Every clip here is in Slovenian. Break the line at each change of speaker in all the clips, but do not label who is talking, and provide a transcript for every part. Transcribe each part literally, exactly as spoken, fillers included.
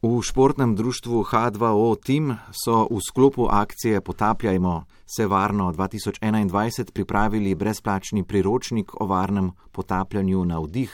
V športnem društvu H dva O Team so v sklopu akcije Potapljajmo se varno dva tisoč enaindvajset pripravili brezplačni priročnik o varnem potapljanju na vdih,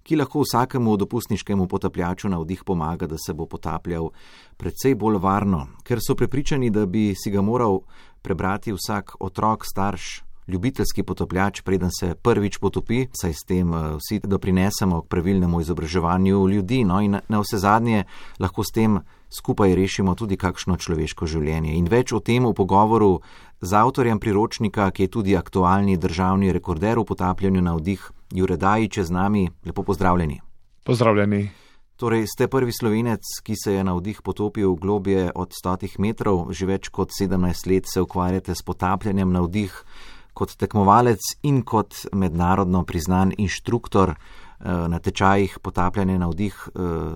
ki lahko vsakemu dopustniškemu potapljaču na vdih pomaga, da se bo potapljal precej bolj varno, ker so prepričani, da bi si ga moral prebrati vsak otrok, starš, ljubiteljski potapljač, preden se prvič potopi, saj s tem vsi doprinesemo k pravilnemu izobraževanju ljudi, no in na vse zadnje lahko s tem skupaj rešimo tudi kakšno človeško življenje. In več o tem v pogovoru z avtorjem priročnika, ki je tudi aktualni državni rekorder v potapljanju na vdih, Jure Dajić je z nami. Lepo pozdravljeni.
Pozdravljeni.
Torej, ste prvi Slovenec, ki se je na vdih potopil globje od stotih metrov, že več kot sedemnajst let se ukvarjate s potapljanjem na vdih. Kot tekmovalec in kot mednarodno priznan inštruktor na tečajih potapljanja na vdih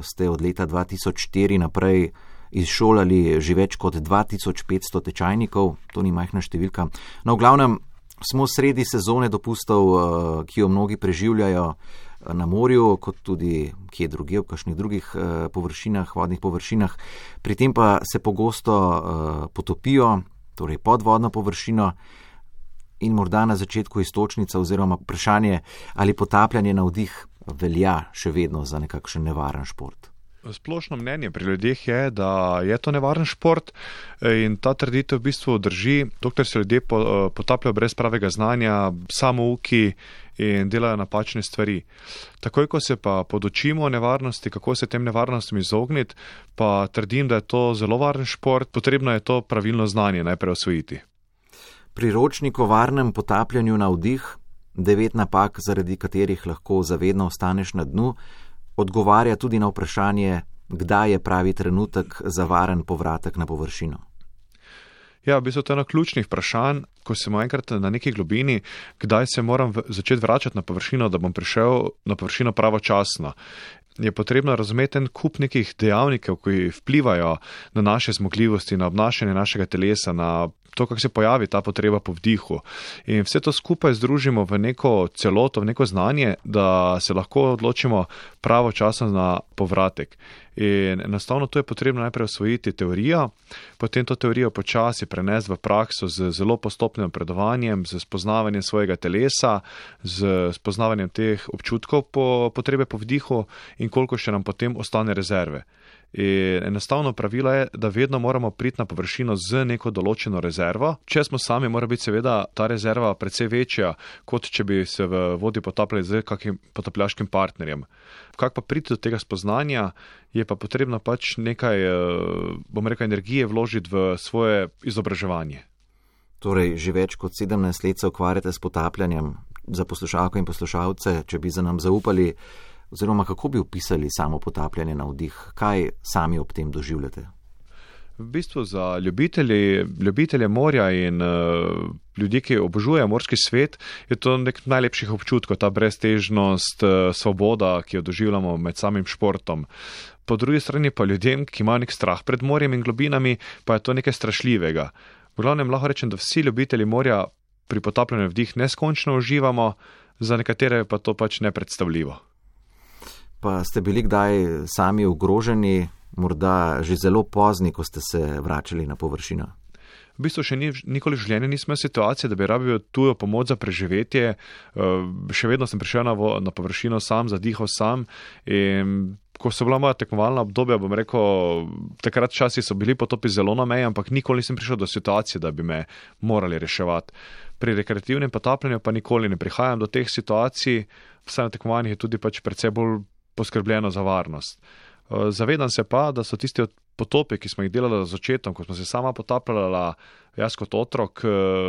ste od leta dva tisoč štiri naprej izšolali že več kot dva tisoč petsto tečajnikov, to ni majhna številka. No, v glavnem smo sredi sezone dopustov, ki jo mnogi preživljajo na morju, kot tudi kje drugje, v kakšnih drugih površinah, vodnih površinah. Pri tem pa se pogosto potopijo, torej podvodno površino. In morda na začetku iztočnica oziroma vprašanje, ali potapljanje na vdih velja še vedno za nekakšen nevaren šport.
Splošno mnenje pri ljudeh je, da je to nevaren šport in ta trditev v bistvu drži, dokler se ljudje potapljajo brez pravega znanja, samouki in delajo napačne stvari. Takoj, ko se pa podučimo o nevarnosti, kako se tem nevarnostim izogniti, pa trdim, da je to zelo varen šport, potrebno je to pravilno znanje najprej osvojiti.
Priročnik o varnem potapljanju na vdih, devet napak, zaradi katerih lahko zavedno ostaneš na dnu, odgovarja tudi na vprašanje, kdaj je pravi trenutek za varen povratek na površino.
Ja, v bistvu to je eno ključnih vprašanj, ko sem enkrat na neki globini, kdaj se moram v, začeti vračati na površino, da bom prišel na površino pravočasno. Je potrebno razumeti en kup nekih dejavnikov, ki vplivajo na naše zmogljivosti, na obnašanje našega telesa, na to, kako se pojavi ta potreba po vdihu. In vse to skupaj združimo v neko celoto, v neko znanje, da se lahko odločimo pravočasno na povratek. In enostavno to je potrebno najprej osvojiti teorijo, potem to teorijo počasi prenesti v prakso z zelo postopnim napredovanjem, z spoznavanjem svojega telesa, z spoznavanjem teh občutkov po potrebe po vdihu in koliko še nam potem ostane rezerve. In enostavno pravilo je, da vedno moramo priti na površino z neko določeno rezervo. Če smo sami, mora biti seveda ta rezerva precej večja, kot če bi se v vodi potapljali z kakim potapljaškim partnerjem. Kako pa priti do tega spoznanja, je pa potrebno pač nekaj, bom rekel, energije vložiti v svoje izobraževanje.
Torej, že več kot sedemnajst let se ukvarjate s potapljanjem. Za poslušalke in poslušalce, če bi za nam zaupali, oziroma kako bi opisali samo potapljanje na vdih? Kaj sami ob tem doživljate?
V bistvu za ljubitelji, ljubitelje morja in uh, ljudi, ki obožujejo morski svet, je to nek najlepših občutkov, ta breztežnost, uh, svoboda, ki jo doživljamo med samim športom. Po drugi strani pa ljudem, ki imajo nek strah pred morjem in globinami, pa je to nekaj strašljivega. V glavnem lahko rečem, da vsi ljubitelji morja pri potapljanju vdih neskončno uživamo, za nekatere pa to pač nepredstavljivo.
Pa ste bili kdaj sami ogroženi, morda že zelo pozni, ko ste se vračali na površino?
V bistvu še ni, nikoli v življenju nismo imeli situacije, da bi rabil tujo pomoč za preživetje. Še vedno sem prišel na, vo, na površino sam, zadihal sam in ko so bila moja tekmovalna obdobja, bom rekel, takrat časi so bili potopi zelo na meji, ampak nikoli nisem prišel do situacije, da bi me morali reševati. Pri rekreativnem potapljanju pa nikoli ne prihajam do teh situacij, vsaj na tekmovanjih je tudi pač precej bolj poskrbljeno za varnost. Zavedam se pa, da so tisti potopi, ki smo jih delali z očetom, ko smo se sama potapljala, jaz kot otrok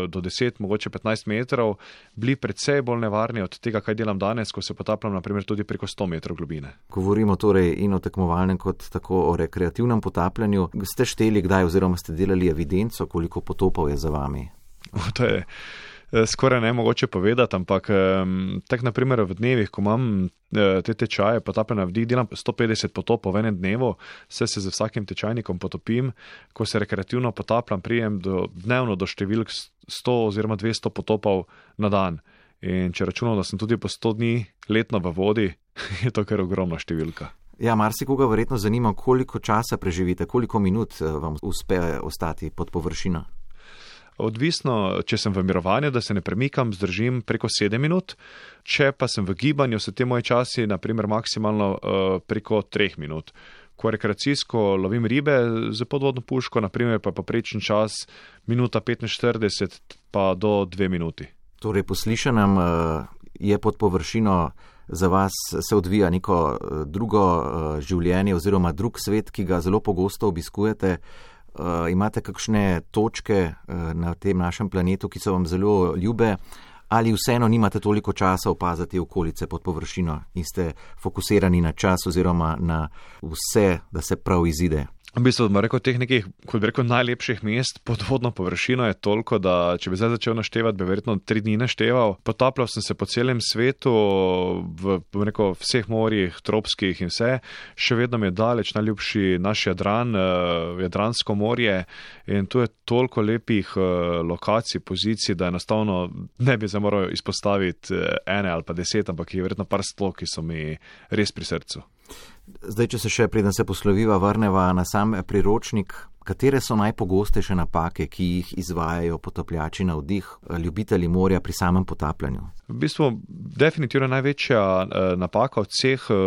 do deset, mogoče petnajst metrov, bili precej bolj nevarni od tega, kaj delam danes, ko se potapljam naprimer tudi preko sto metrov globine.
Govorimo torej in o tekmovalnem kot tako o rekreativnem potapljanju. Ste šteli kdaj oziroma ste delali evidenco, koliko potopov je za vami?
To je skoraj nemogoče povedati, ampak tak naprimer v dnevih, ko imam te tečaje potapljanja na vdih, delam sto petdeset potopov v enem dnevu, vse se z vsakim tečajnikom potopim, ko se rekreativno potapljam, prijem do, dnevno do številk sto oziroma dvesto potopov na dan. In če računam, da sem tudi po sto dni letno v vodi, je to kar ogromna številka.
Ja, marsikoga verjetno zanima, koliko časa preživite, koliko minut vam uspe ostati pod površino.
Odvisno, če sem v mirovanju, da se ne premikam, zdržim preko sedem minut, če pa sem v gibanju, so te moje časi naprimer maksimalno uh, preko treh minut. Ko rekreacijsko lovim ribe z podvodno puško, naprimer pa poprečen čas minuta petinštirideset pa do dve minuti.
Torej, po slišanem uh, je pod površino za vas se odvija neko uh, drugo uh, življenje oziroma drug svet, ki ga zelo pogosto obiskujete. Uh, imate kakšne točke uh, na tem našem planetu, ki so vam zelo ljube, ali vseeno nimate toliko časa opaziti okolice pod površino in ste fokusirani na čas oziroma na vse, da se prav izide?
V bistvu, da rekel, teh nekih, kot bi rekel, najlepših mest pod vodno površino je toliko, da če bi zdaj začel naštevati, bi verjetno tri dni našteval. Potapljal sem se po celem svetu, v, v rekel, vseh morjih, tropskih in vse. Še vedno mi je daleč najljubši naš Jadran, uh, Jadransko morje, in tu je toliko lepih uh, lokacij, pozicij, da enostavno ne bi zdaj moral izpostaviti uh, ene ali pa deset, ampak je verjetno par sto, ki so mi res pri srcu.
Zdaj, če se še, preden se posloviva, vrneva na sam priročnik, katere so najpogostejše napake, ki jih izvajajo potapljači na vdih, ljubitelji morja pri samem potapljanju?
V bistvu, definitivno največja eh, napaka od vseh eh,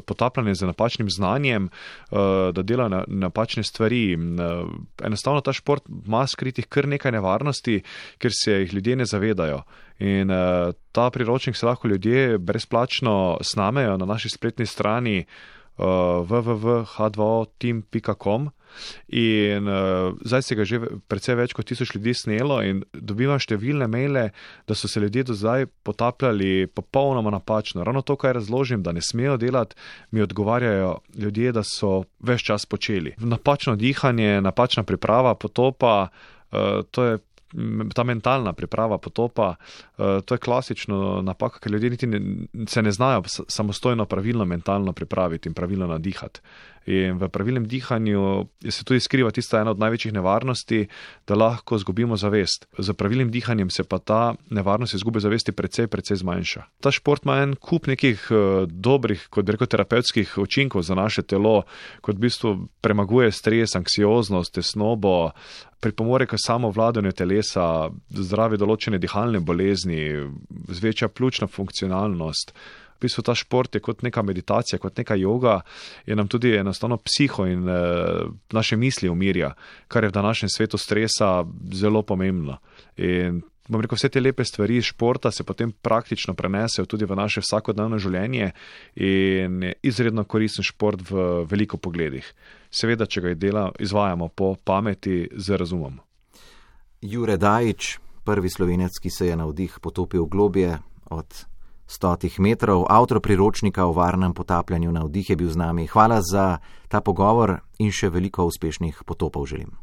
potapljanja z napačnim znanjem, eh, da delajo na, napačne stvari. Eh, enostavno ta šport ima skritih kar nekaj nevarnosti, ker se jih ljudje ne zavedajo. In uh, ta priročnik se lahko ljudje brezplačno snamejo na naši spletni strani uh, w w w pika h dva o team pika com in uh, zdaj se ga že precej več kot tisoč ljudi snelo in dobivam številne maile, da so se ljudje do zdaj potapljali popolnoma napačno. Ravno to, kaj razložim, da ne smejo delati, mi odgovarjajo ljudje, da so ves čas počeli. Napačno dihanje, napačna priprava potopa, uh, to je ta mentalna priprava potopa, to je klasično napaka, ker ljudje niti ne, se ne znajo samostojno pravilno mentalno pripraviti in pravilno nadihati. In v pravilnem dihanju se tudi skriva tista ena od največjih nevarnosti, da lahko zgubimo zavest. Z pravilnim dihanjem se pa ta nevarnost izgube zavesti precej, precej zmanjša. Ta šport ima en kup nekih uh, dobrih, kot bi rekel, terapevtskih učinkov za naše telo, kot v bistvu premaguje stres, anksioznost, tesnobo, pripomore k samovladanju telesa, zdravi določene dihalne bolezni, zvečja pljučna funkcionalnost. V bistvu ta šport je kot neka meditacija, kot neka joga, je nam tudi enostavno psiho in e, naše misli umirja, kar je v današnjem svetu stresa zelo pomembno. In bom rekel, vse te lepe stvari iz športa se potem praktično prenesejo tudi v naše vsakodnevno življenje in je izredno koristen šport v veliko pogledih. Seveda, če ga dela, izvajamo po pameti z razumom.
Jure Dajič, prvi Slovenec, ki se je na vdih potopil globje od stotih metrov, avtor priročnika o varnem potapljanju na vdih, je bil z nami. Hvala za ta pogovor in še veliko uspešnih potopov želim.